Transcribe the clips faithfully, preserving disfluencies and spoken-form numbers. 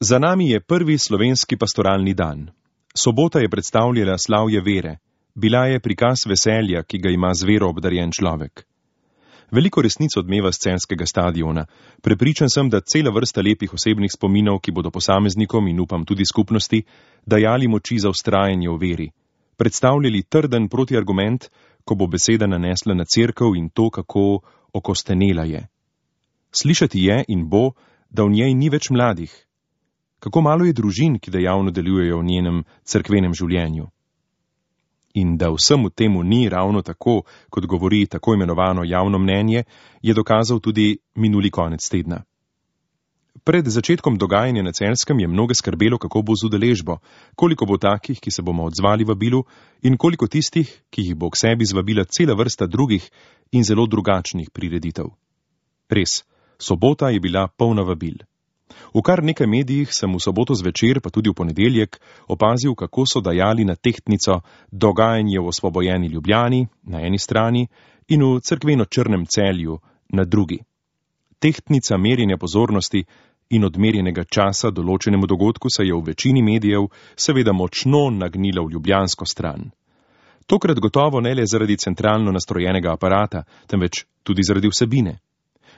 Za nami je prvi slovenski pastoralni dan. Sobota je predstavljala slavje vere, bila je prikaz veselja, ki ga ima z vero obdarjen človek. Veliko resnic odmeva s Celjskega stadiona. Prepričan sem, da cela vrsta lepih osebnih spominov, ki bodo posameznikom in upam tudi skupnosti, dajali moči za vztrajanje v veri. Predstavljali trden protiargument, ko bo beseda nanesla na cerkev in to, kako okostenela je. Slišati je in bo, da v njej ni več mladih. Kako malo je družin, ki dejavno delujejo v njenem cerkvenem življenju. In da vsemu temu ni ravno tako, kot govori tako imenovano javno mnenje, je dokazal tudi minuli konec tedna. Pred začetkom dogajanja na Celjskem je mnoge skrbelo, kako bo z udeležbo, koliko bo takih, ki se bomo odzvali vabilu, in koliko tistih, ki jih bo k sebi zvabila cela vrsta drugih in zelo drugačnih prireditev. Res, sobota je bila polna vabil. V kar nekaj medijih sem v soboto zvečer, pa tudi v ponedeljek, opazil, kako so dajali na tehtnico dogajanje v osvobojeni Ljubljani na eni strani in v cerkveno Črnem Celju na drugi. Tehtnica merjenja pozornosti in odmerjenega časa določenemu dogodku se je v večini medijev seveda močno nagnila v ljubljansko stran. Tokrat gotovo ne le zaradi centralno nastrojenega aparata, temveč tudi zaradi vsebine.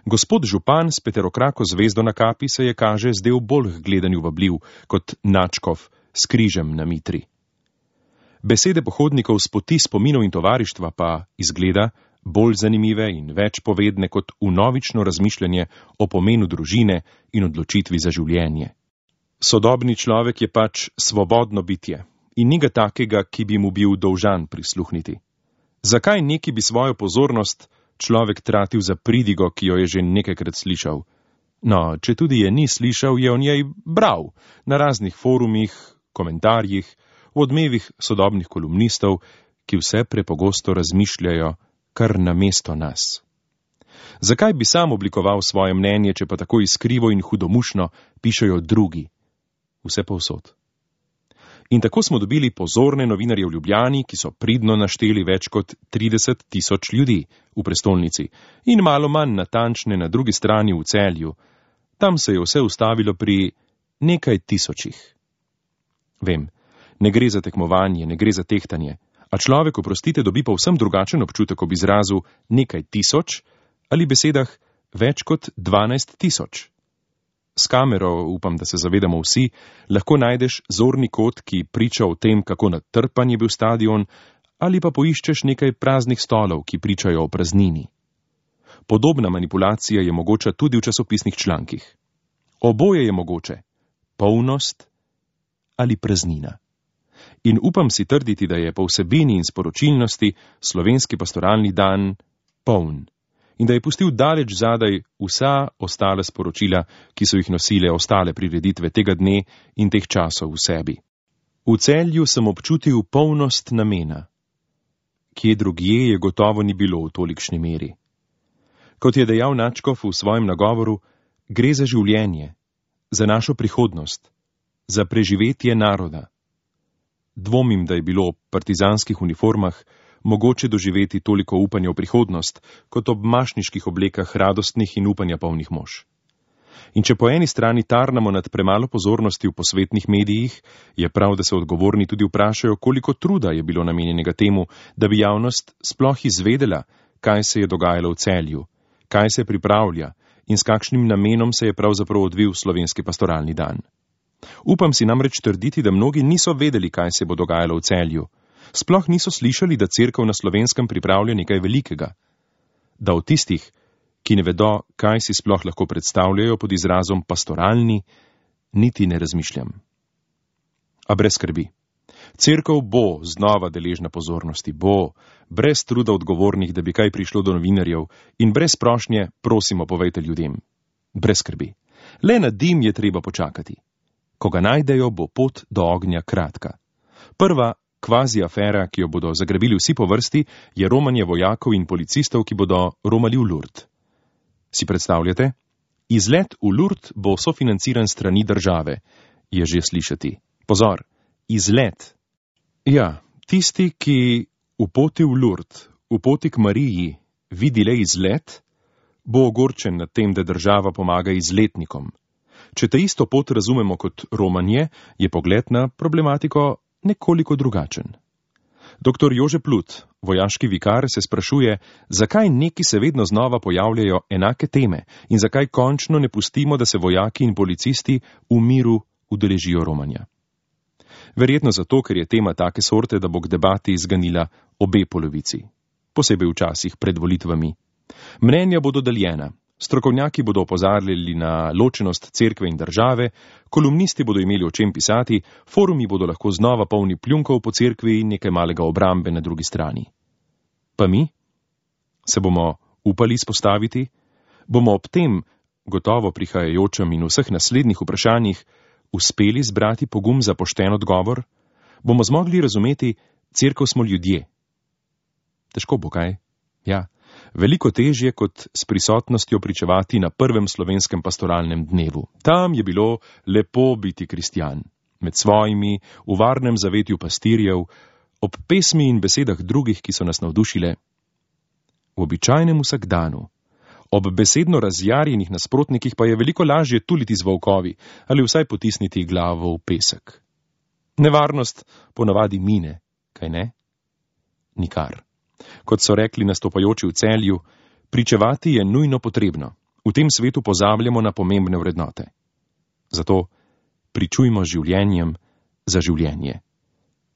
Gospod župan s peterokrako zvezdo na kapi se je, kaže, zdel bolj gledanju vabljiv kot nadškof s križem na mitri. Besede pohodnikov s poti spominov in tovarištva pa izgleda bolj zanimive in več povedne kot vnovično razmišljanje o pomenu družine in odločitvi za življenje. Sodobni človek je pač svobodno bitje in ni ga takega, ki bi mu bil dolžan prisluhniti. Zakaj neki bi svojo pozornost človek tratil za pridigo, ki jo je že nekajkrat slišal? No, če tudi je ni slišal, je o njej bral na raznih forumih, komentarjih, v odmevih sodobnih kolumnistov, ki vse prepogosto razmišljajo kar namesto nas. Zakaj bi sam oblikoval svoje mnenje, če pa tako iskrivo in hudomušno pišejo drugi? Vse povsod. In tako smo dobili pozorne novinarje v Ljubljani, ki so pridno našteli več kot trideset tisoč ljudi v prestolnici in malo manj natančne na drugi strani v Celju. Tam se je vse ustavilo pri nekaj tisočih. Vem, ne gre za tekmovanje, ne gre za tehtanje, a človek, oprostite, dobi povsem drugačen občutek ob izrazu nekaj tisoč ali besedah več kot dvanajst tisoč. S kamero, upam, da se zavedamo vsi, lahko najdeš zorni kot, ki priča o tem, kako natrpan je bil stadion, ali pa poiščeš nekaj praznih stolov, ki pričajo o praznini. Podobna manipulacija je mogoča tudi v časopisnih člankih. Oboje je mogoče, polnost ali praznina. In upam si trditi, da je po vsebini in sporočilnosti slovenski pastoralni dan poln in da je pustil daleč zadaj vsa ostala sporočila, ki so jih nosile ostale prireditve tega dne in teh časov v sebi. V Celju sem občutil polnost namena. Kje drugje je gotovo ni bilo v tolikšni meri. Kot je dejal nadškof v svojem nagovoru, gre za življenje, za našo prihodnost, za preživetje naroda. Dvomim, da je bilo ob partizanskih uniformah mogoče doživeti toliko upanja v prihodnost, kot ob mašniških oblekah radostnih in upanja polnih mož. In če po eni strani tarnamo nad premalo pozornosti v posvetnih medijih, je prav, da se odgovorni tudi vprašajo, koliko truda je bilo namenjenega temu, da bi javnost sploh izvedela, kaj se je dogajalo v Celju, kaj se pripravlja in s kakšnim namenom se je pravzaprav odvil slovenski pastoralni dan. Upam si namreč trditi, da mnogi niso vedeli, kaj se bo dogajalo v Celju. Sploh niso slišali, da cerkev na Slovenskem pripravlja nekaj velikega. Da o tistih, ki ne vedo, kaj si sploh lahko predstavljajo pod izrazom pastoralni, niti ne razmišljam. A brez skrbi. Cerkev bo znova deležna pozornosti, bo, brez truda odgovornih, da bi kaj prišlo do novinarjev in brez prošnje, prosimo, povejte ljudem. Brez skrbi. Le na dim je treba počakati. Ko ga najdejo, bo pot do ognja kratka. Prva kvazi afera, ki jo bodo zagrabili vsi po vrsti, je romanje vojakov in policistov, ki bodo romali v Lourdes. Si predstavljate? Izlet v Lourdes bo sofinanciran strani države, je že slišati. Pozor, izlet. Ja, tisti, ki v poti v Lourdes, v poti k Mariji, vidi le izlet, bo ogorčen nad tem, da država pomaga izletnikom. Če te isto pot razumemo kot romanje, je pogled na problematiko nekoliko drugačen. Doktor Jože Plut, vojaški vikar, se sprašuje, zakaj neki se vedno znova pojavljajo enake teme in zakaj končno ne pustimo, da se vojaki in policisti v miru udeležijo romanja. Verjetno zato, ker je tema take sorte, da bo k debati zganila obe polovici, posebej včasih pred volitvami. Mnenja bodo deljena, strokovnjaki bodo opozarjali na ločenost cerkve in države, kolumnisti bodo imeli o čem pisati, forumi bodo lahko znova polni pljunkov po cerkvi in nekaj malega obrambe na drugi strani. Pa mi? Se bomo upali izpostaviti? Bomo ob tem, gotovo prihajajočem in vseh naslednjih vprašanjih, uspeli zbrati pogum za pošten odgovor? Bomo zmogli razumeti, cerkev smo ljudje? Težko bo, kaj? Ja. Veliko težje kot s prisotnostjo pričevati na prvem slovenskem pastoralnem dnevu. Tam je bilo lepo biti kristjan, med svojimi, v varnem zavetju pastirjev, ob pesmi in besedah drugih, ki so nas navdušile. V običajnem vsakdanu, ob besedno razjarjenih nasprotnikih pa je veliko lažje tuliti z volkovi ali vsaj potisniti glavo v pesek. Nevarnost ponavadi mine, kaj ne? Nikar. Kot so rekli nastopajoči v Celju, pričevati je nujno potrebno. V tem svetu pozabljamo na pomembne vrednote. Zato pričujmo življenjem za življenje.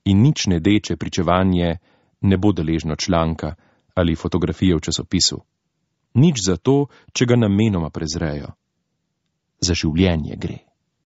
In nič ne deče pričevanje ne bo deležno članka ali fotografije v časopisu. Nič zato, če ga namenoma prezrejo. Za življenje gre.